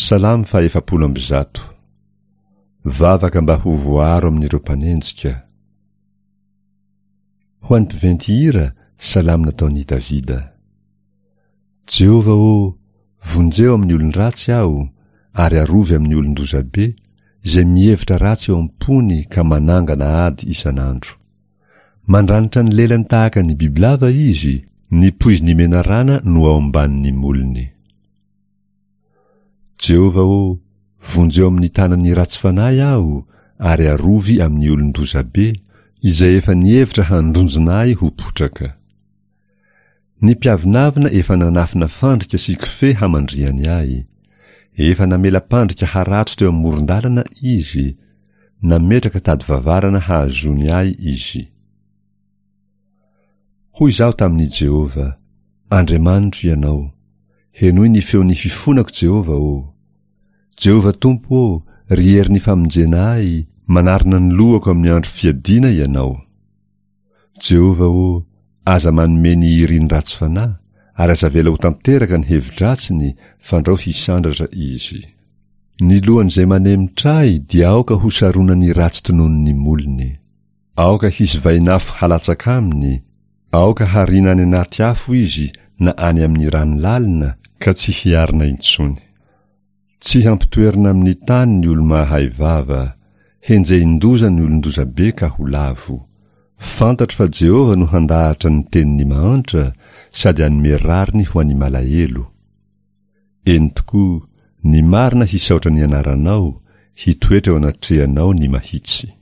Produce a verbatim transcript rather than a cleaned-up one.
Salamo fahaefapolo amby zato. Vavaka mba ho voaaro amin'ireo mpanenjika. Ho an'ny mpiventy hira, salamo nataon'i Davida. Jehovah ô, vonjeo amin'ny olon-dratsy aho, ary arovy amin'ny olon-dozabe, izay mihevitra ratsy eo am-pony ka manangana ady isan'andro. Mandranitra ny lelany tahaka ny bibilava izy, ny poizin'ny menarana no ao ambanin'ny molony. Jehovah ô, vonjeo amin'ny tanan'ny ratsy fanahy aho, ary arovy amin'ny olon-dozabe, izay efa nihevitra handronjina ahy ho potraka. Ny mpiavonavona efa nanafina fandrika sy kofehy hamandrihany ahy. Efa namela-pandrika harato teo amoron-dalana izy, nametraka tady vavarana hahazoany ahy izy. Hoy izaho tamin'i Jehovah, Andriamanitro Ianao. Henoy ny feon'ny fifonako, Jehovah ô! Jehovah Tompo ô, ry herin'ny famonjena ahy, manarona ny lohako amin'ny andro fiadiana Ianao. Jehovah ô, aza manome ny irin'ny ratsy fanahy, ary aza avela ho tanteraka ny hevi-dratsiny, fandrao hisandratra izy. Ny lohan'izay manemitra ahy dia aoka hosaronan'ny ratsy tononin'ny molony. Aoka hisy vainafo halatsaka aminy, aoka hariana any anaty afo izy na any amin'ny rano lalina ka tsy hiarina intsony. Tsy hampitoerina amin'ny tany ny olo-mahay vava, henjehin-doza ny olon-dozabe ka ho lavo. Fantatro fa Jehovah no handahatra ny tenin'ny mahantra sady hanome rariny ho an'ny malahelo. Eny tokoa, ny marina hisaotra ny anaranao, hitoetra eo anatrehanao ny mahitsy.